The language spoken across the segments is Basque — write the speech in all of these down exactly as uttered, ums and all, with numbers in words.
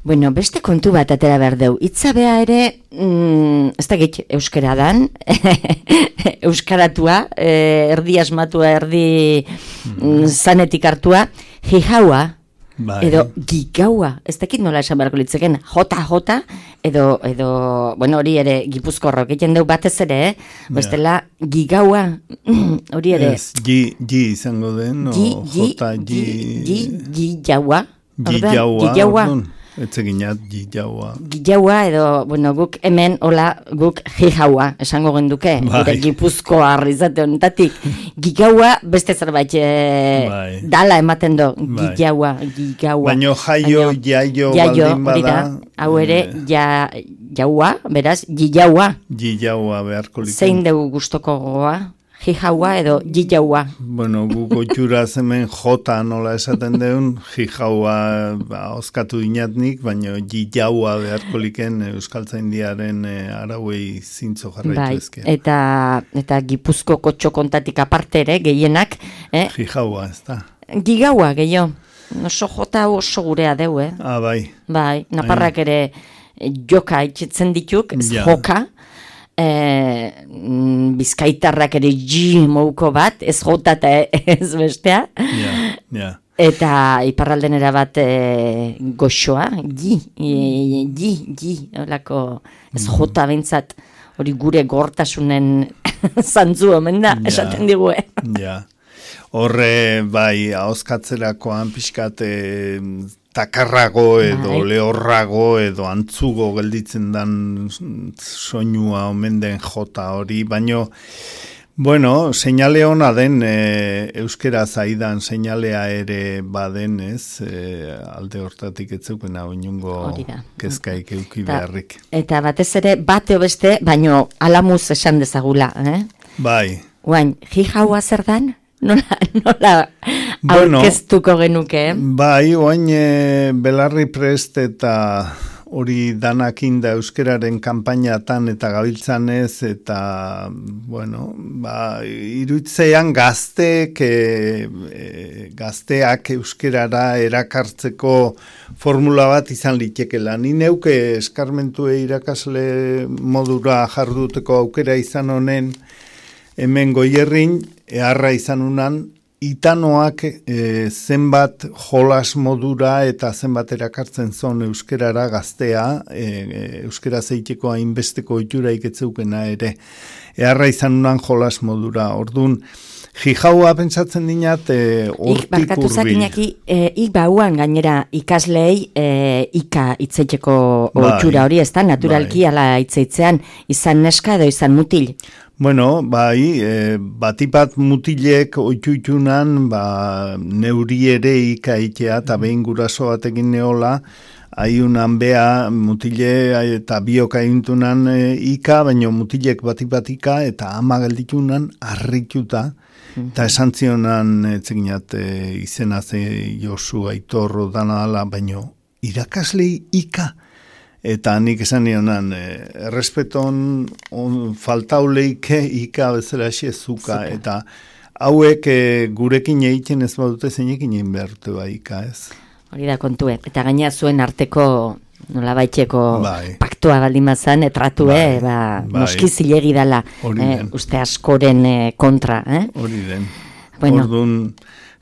Bueno, beste kontu bat atera behar deu. Itzabea ere, mm, ez da git, euskara dan, euskaratua, eh, erdi asmatua, erdi mm, zanetik hartua, jijaua, bai. Edo gigaua, ez dakit nola esan beharko litzeken, jota, jota, edo, edo, bueno, hori ere, gipuzkorrok, egiten deu batez ere, eh? Bestela, gigaua, hori ere. Ez, gi, gi izango den, o jota, gi... Gi, gi, gigaua. Gigaua, gigaua. Etzeginat, gijaua. Gijaua edo, bueno, guk hemen, hola, guk jijaua, esango genduke. Bai. Gipuzko arrizate honetatik. Gigaua, beste zerbait e, bai. Dala ematen do. Bai. Gijaua, gigaua. Baina jaio, jaio, baldin bada. Hau ere, ja, jaua, beraz, gijaua. Gijaua beharko liken. Zein dugu gustoko goa? Jijaua edo gijaua. Bueno, guko txura hemen jota nola esaten deun, jijaua ba, oskatu inatnik, baina gijaua beharko liken Euskaltzaindiaren e, arauei zintzo jarraitu bai, ezke. Eta, eta Gipuzko kotxo kontatik aparte ere, gehienak. Eh? Jijaua, ez da. Gigaua, gehiago. Oso jota oso gurea deu, eh? Ah, bai. Bai, naparrak ere joka itxetzen dituk, ez ja. Joka. E, bizkaitarrak ere ji mouko bat, ez jota eta ez bestea. Ja, ja. Eta iparralden bat e, goxoa, ji, e, ji, ji, olako, ez jota bintzat, hori gure gortasunen zantzu omen da, ja, esaten digu, eh? Ja. Horre, bai, ahoskatzerakoan pixkat takarrago edo bai. Lehorrago edo antzugo gelditzen dan soinua omen den jota hori, baino, bueno, seinale hona den e, euskera zaidan seinalea ere baden, ez, e, alde hortatik etzeukena oinungo kezkaik euki beharrik. Eta batez ere, bate beste, baino alamuz esan dezagula, eh? Bai. Guain, jijaua zer dan? Nola, nola bueno, aurkeztuko genuke, eh? Bai, oain e, Belarri Prest eta hori danakin da euskeraren kanpainatan eta gabiltzanez eta, bueno, ba, iruitzean gazteek, e, e, gazteak euskerara erakartzeko formula bat izan litekela. Ni neuke eskarmentue irakasle modura jarduteko aukera izan honen hemen Goierrin, eharra izan unan, itanoak e, zenbat jolas modura eta zenbat erakartzen zon euskerara gaztea, e, e, euskera zeiteko hainbesteko oitura iketzeukena ere. Eharra izan unan jolas modura. Orduan, jijaua pentsatzen dinat e, hortik urbil. Barkatu zakinaki, e, ik bauan gainera ikaslei e, ika itzeiteko oitura hori, ez da? Naturalki bai. Ala itzeitzean izan neska edo izan mutil. Bueno, bai, e, batipat mutilek oituitunan, ba, neuri ere ikaitea eta behin guraso batekin neola, aiunan bea mutile eta biok aintunan e, ika, baina mutilek batipatika eta ama gelditunan arrituta, mm-hmm. eta esan zionan etzeginat e, izena ze Josu Aitorro dana dala, baina irakaslei ika. Eta nik esan nionan, eh, errespeton on, faltauleike ika bezala zuka, eta hauek eh, gurekin egiten ez badute zeinekin egin behartu bai ika, ez? Hori da kontue, eta gaina zuen arteko nola baitxeko bai. Paktua baldin mazan, etratue, bai. Ba, bai. Noski zilegi dala, eh, uste askoren eh, kontra. Eh? Hori den. Bueno. Orduan,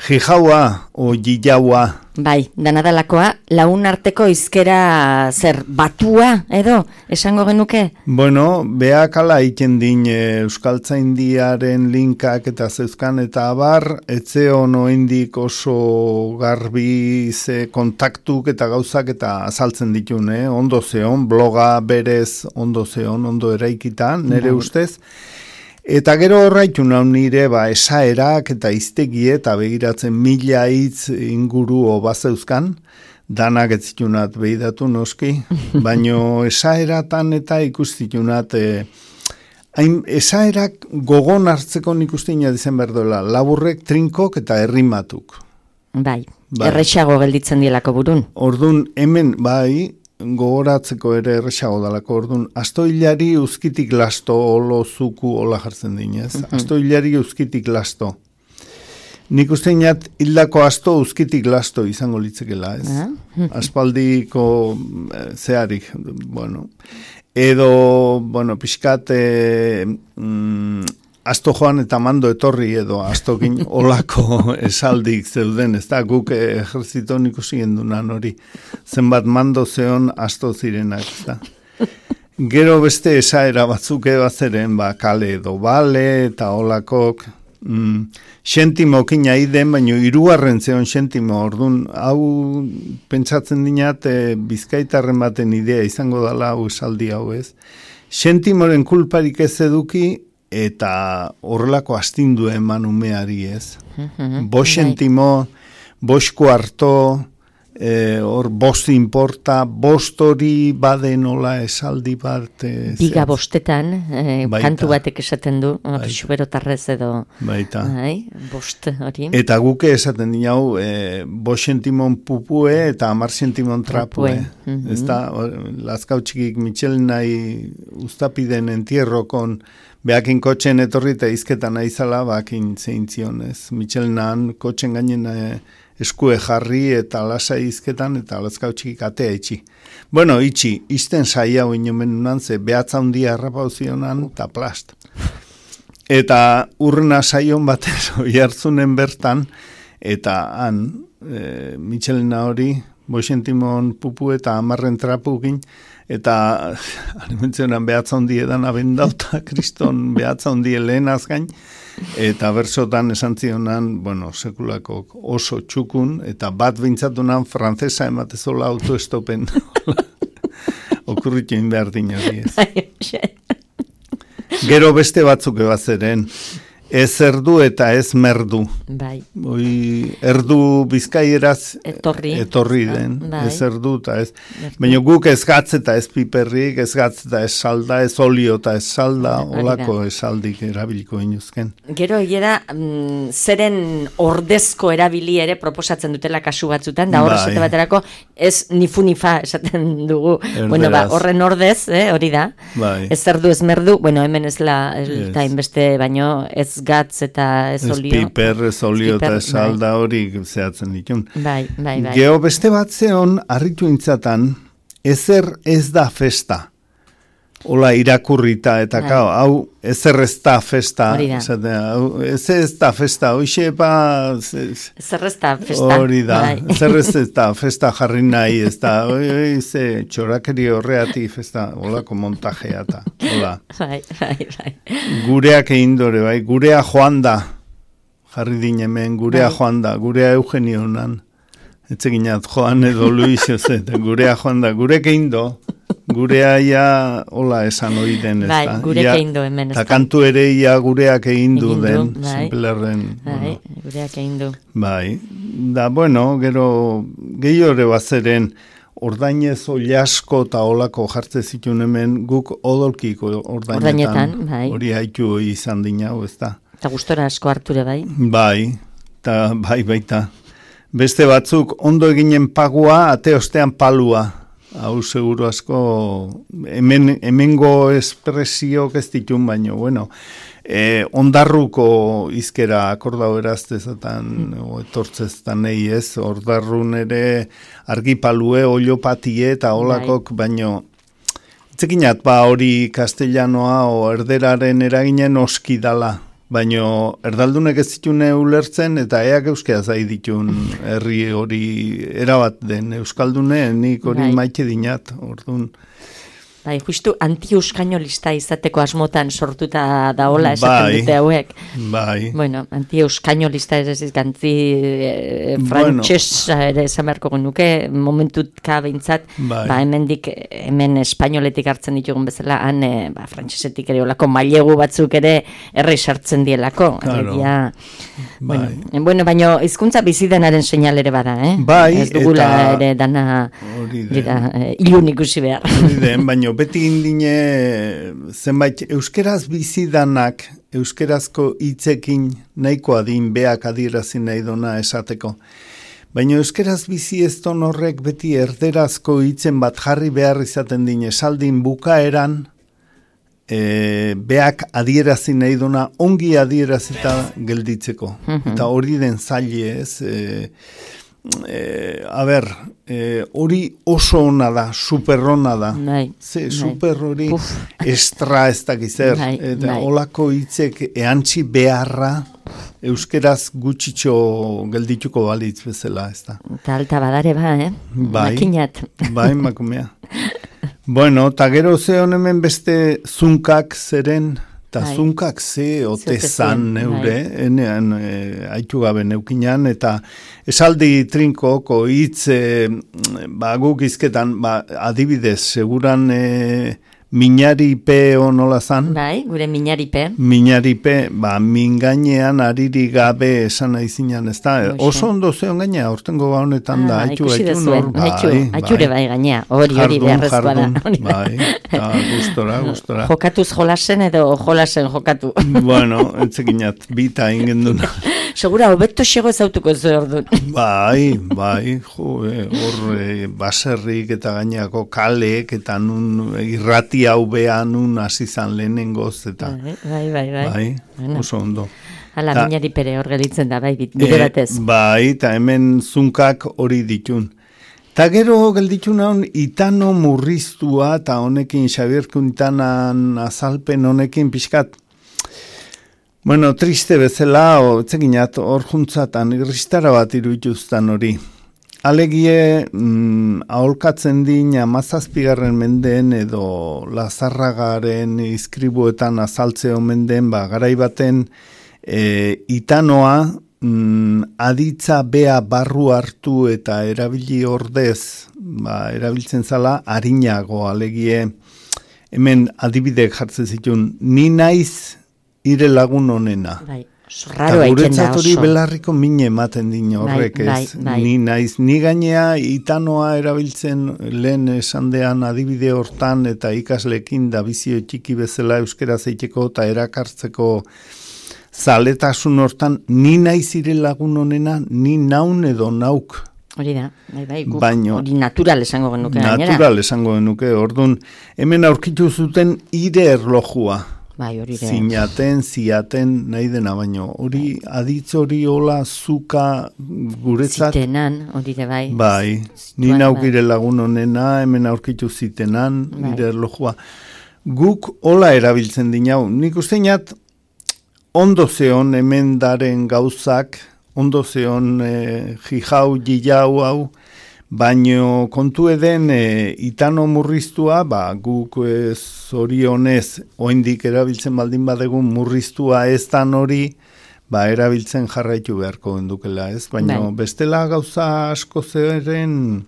jijaua o gijaua. Bai, danadalakoa, laun arteko izkera zer batua edo, esango genuke? Bueno, beak ala iten din e, Euskaltzaindiaren linkak eta zeuzkan eta abar, etzeo noendik oso garbi ze kontaktuk eta gauzak eta azaltzen ditun, eh? Ondo zeon, bloga berez ondo zeon, ondo eraikita, nire bai. Ustez. Eta gero horraitu nahi nire ba, esaerak eta iztegie eta begiratzen mila hitz inguru obazeuzkan, danak ez zitunat behidatu noski, baino esaeratan eta ikustitunat, e, hain, esaerak gogon hartzeko nik ustina dizen berdoela, laburrek, trinkok eta errimatuk. Bai, bai. Errexago gelditzen dielako burun. Ordun hemen, bai, gogoratzeko ere erresago dalako, orduan, astoilari uzkitik lasto olo zuku ola jartzen dinez, mm-hmm. Astoilari uzkitik lasto. Nik uste inat hildako asto uzkitik lasto izango litzekela, ez? Ah? Aspaldiko zeharik, bueno. Edo, bueno, pixkat, e, mm, asto joan eta mando etorri edo astokin olako esaldik zeuden, ez da, guk ejerzito nik usien dunan hori. Zenbat mando zeon asto zirenak, ez da. Gero beste esaera batzuk ebazeren, ba, kale edo bale eta olakok, Mm, xentimokin aiden, baina hirugarren zeon xentimo, orduan, hau pentsatzen dinat, e, bizkaitarren baten idea izango dela hau esaldi hau ez. Xentimoren kulparik ez eduki eta horrelako astindu eman umeari ez. Bos xentimo, bosko harto, hor e, bost inporta, bost hori bade nola esaldi bat. E, Biga bostetan, e, kantu batek esaten du, xuberotarrez edo. Baita. Ai, bost hori. Eta guke esaten dina hau, e, bost sentimon pupue eta amar sentimon trapue. Mm-hmm. Ez da, lazkau txikik Michelin nahi ustapiden entierrokon, behakin kotxen etorri eta izketan aizala, bakin zeintzionez. Michelinan kotxen gainen e, eskue jarri eta lasa izketan eta lazkau txikik atea itxi. Bueno, itxi, izten saia hoi nomen unan, ze behatza hundia errapauzionan eta plast. Eta urrena saion batez hoi hartzunen bertan, eta han, e, Michelina hori, boixentimon pupu eta amarren trapukin, eta alimentzionan behatza hundi edan abendauta, kriston behatza hundi lehen azgain, eta bersotan esan zionan, bueno, sekulako oso txukun, eta bat bintzatunan frantzesa ematezola autoestopen. Okurritu inbehar dinari ez. Gero beste batzuk ebazeren, ez erdu eta ez merdu. Bai. Oi, erdu bizkaieraz etorri, etorri den, bai. Ez erdu eta ez. Baina guk ez gatz eta ez piperrik, ez gatz eta ez salda, ez olio eta ez salda, olako esaldik erabiliko inuzken. Gero egera, mm, zeren ordezko erabili ere proposatzen dutela kasu batzutan, da hor esate baterako ez nifu-nifa esaten dugu. Erderaz. Bueno, ba, horren ordez, eh, hori da. Bai. Ez erdu ez merdu, bueno, hemen ez la, eta yes. Inbeste baino ez gatz eta ez olio. Ez piper, ez olio eta ez salda hori zehatzen ditun. Bai, bai, bai. Geo beste bat zeon, harritu intzatan, ezer ez da festa. Hola irakurrita eta bai. Kao, hau ezer ez da festa. Hori da. Ezer ez da festa, hoxe pa... Ezer ez da festa. Hori da, ezer ez da festa jarri nahi, ez da, oi, oi, ze, txorakeri horreati festa, holako montajea eta, hola. Bai, bai, bai. Gureak egin dore, bai, gurea joan da, jarri dinemen, gurea bai. Joan da, gurea Eugenio nan, etzeginat joan edo Luis, gurea joan da, gurek egin do, gurea ia hola esan hori den ez bai, da. Gurek egin du hemen ez da. Ta kantu ere ia gureak egin du den, simplerren. Bai, bueno. Gureak egin du. Bai, da bueno, gero gehiore bazeren ordainez oliasko eta olako jartze zituen hemen guk odolkiko ordainetan. Ordainetan, bai. Hori haitu izan dinau ez da. Eta gustora asko harture bai. Bai, eta bai baita. Beste batzuk ondo eginen pagua, ate ostean palua. Hau seguro asko, hemen, hemengo espresiok ez ditun baino, bueno, eh, ondarruko izkera akordau eraztezatan, mm. o etortzeztan nahi ez, ondarrun ere argipalue, oliopatie eta olakok, baino, itzekinat ba hori castellanoa o erderaren eraginen oski dala. Baina erdaldunek ez ditune ulertzen eta eak euskeaz ahi ditun herri hori erabat den euskaldune, nik hori bai. Maite dinat, orduan. Bai, justu anti-euskainolista izateko asmotan sortuta daola esaten bai, dute hauek. Bai. Bueno, anti-euskainolista ez ez gantzi e, frantxesa bueno. Ere esan beharko genuke, momentutka behintzat, bai. Ba, hemendik, hemen espainoletik hartzen ditugun bezala, han e, ba, frantxesetik ere olako mailegu batzuk ere erre sartzen dielako. Claro. Ja, bai. Bueno, bueno, baina hizkuntza bizidenaren seinal ere bada, eh? Bai, ez dugula eta... ere dana dira, e, ilun ikusi behar. Den, baina beti indine zenbait euskeraz bizidanak euskerazko hitzekin nahikoa din beak adierazi nahi dona esateko. Baina euskeraz bizi ez don horrek beti erderazko hitzen bat jarri behar izaten din esaldin bukaeran e, beak adierazi nahi duna ongi adierazita gelditzeko. Eta hori den zaile ez, e, e, a ber, e, hori oso ona da, super ona da. Bai, Ze, bai. super hori estra ez dakizer. Bai, Eta bai. olako hitzek eantzi beharra euskeraz gutxitxo geldituko balitz bezala, ez da. Eta alta badare ba, eh? Bai. Makinat. Bai, makumea. Bueno, eta gero ze hemen beste zunkak zeren, eta Bai. zunkak ze ote Ze ote zan zen, neure, enean e, haitu gabe neukinan, eta esaldi trinkoko hitz, e, ba, guk izketan, ba, adibidez, seguran e, minaripe nola zan? Bai, gure minaripe. Minaripe, ba, mingainean ariri gabe esan aizinan, ez da? Oso ondo zeon gaina, hortengo ba honetan da, Ah, haitu, ikusi haitu, dezue, nor, bai, haitu, haiture bai gainea, hori hori Jardun, beharrezkoa da. jardun, Hori da. bai, eta gustora, gustora. Jokatuz jolasen edo jolasen jokatu. Bueno, entzekinat, bita ingen duna. Segura, hobeto xego ezautuko zu orduan. Bai, bai, jo, eh, hor eh, baserrik eta gainako kalek eta nun irrati hau behan nun hasi zan lehenengoz eta Bai, bai, bai. bai. bai, Bueno. oso ondo. Hala, Ta- minari pere hor gelitzen da, bai, bide batez. Eh, bai, eta hemen zunkak hori ditun. Ta gero gelditun hon itano murriztua eta honekin Xabier Quintanan azalpen honekin pixkat. Bueno, triste bezala, o, etzeginat, hor juntzatan, irristara bat iruituztan hori. Alegie, mm, aholkatzen din amazazpigarren mendeen edo Lazarragaren izkribuetan azaltze omen den, ba, garaibaten e, itanoa mm, aditza bea barru hartu eta erabili ordez, ba, erabiltzen zala, harinago, alegie, hemen adibidek jartzen zituen, ni naiz ire lagun honena. Bai, oso raro aiken da guretzat hori oso. belarriko mine ematen din horrek Bai, ez. bai, bai. Ni naiz, ni gainea itanoa erabiltzen lehen esandean adibide hortan eta ikaslekin da bizio txiki bezala euskera zeiteko eta erakartzeko zaletasun hortan, ni naiz ire lagun honena, ni naun edo nauk. Hori da, bai, bai, guk Baino- hori natural esango genuke gainera. Natural esango genuke, orduan, hemen aurkitu zuten ire erlojua. Bai, hori da. Zinaten, ziaten, nahi dena, baino. Hori, aditz hori hola, zuka guretzat. Zitenan, hori da, bai. Bai, ni Bai, naukire lagun honena, hemen aurkitu zitenan, Bai. nire erlojua. Guk hola erabiltzen dinau. Nik usteñat, ondo zeon hemen daren gauzak, ondo zeon e, jijau, jijau hau, baino kontu eden e, itano murriztua, ba, guk e, zorionez, oindik erabiltzen baldin badegun murriztua ez dan hori, ba, erabiltzen jarraitu beharko endukela, ez? Baina Bai. bestela gauza asko zeren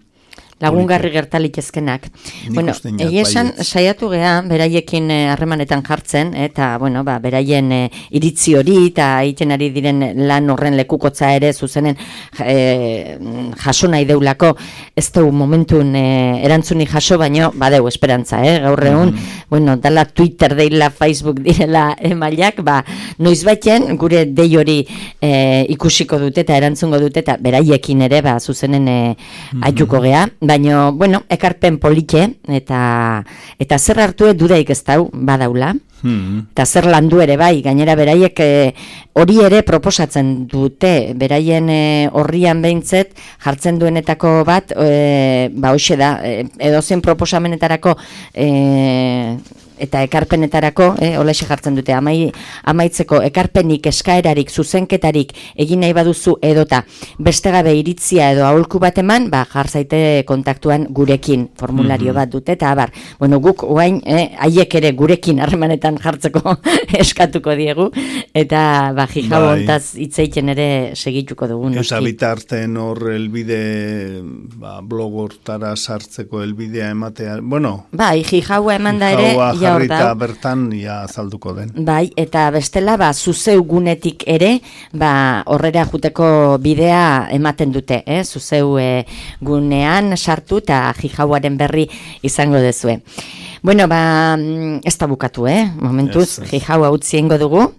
Lagungarri gertalik ezkenak. Nik Bueno, uste inat, egia esan, baietz. saiatu gea, beraiekin eh, harremanetan jartzen, eta, bueno, ba, beraien eh, iritzi hori, eta egiten ari diren lan horren lekukotza ere, zuzenen eh, jaso nahi deulako, ez du momentun eh, erantzuni jaso, baino, badeu esperantza, eh? Gaur egun, bueno, dala Twitter deila, Facebook direla emailak, ba, noiz baiten, gure dei hori eh, ikusiko dute eta erantzungo dute, eta beraiekin ere, ba, zuzenen eh, aituko gea, baino, bueno, ekarpen polike, eta eta zer hartu dudaik ez dau, badaula, Hmm. eta zer landu ere bai, gainera beraiek eh, hori ere proposatzen dute, beraien eh, horrian behintzet, jartzen duenetako bat, eh, ba hoxe da, eh, edozein proposamenetarako eh, eta ekarpenetarako, eh, olaxe jartzen dute, amai, amaitzeko ekarpenik, eskaerarik, zuzenketarik egin nahi baduzu edota beste gabe iritzia edo aholku bat eman, ba, jar zaite kontaktuan gurekin, formulario bat dute, eta abar, bueno, guk oain, eh, haiek ere gurekin harremanetan jartzeko eskatuko diegu, eta ba, jijau Bai. hontaz hitzeiten ere segituko dugu, Eta noski. bitarten hor elbide, ba, blog hortara sartzeko elbidea ematea, bueno, Bai, jijaua eman da ere, jaua ja hor jarrita dau. bertan ja azalduko den. Bai, eta bestela, ba, zuzeu gunetik ere, ba, horrera juteko bidea ematen dute, eh? Zuzeu eh, gunean sartu eta jijauaren berri izango dezue. Bueno, ba, mm, ez da bukatu, eh? Momentuz, Ez, ez. jijaua utzi eingo dugu,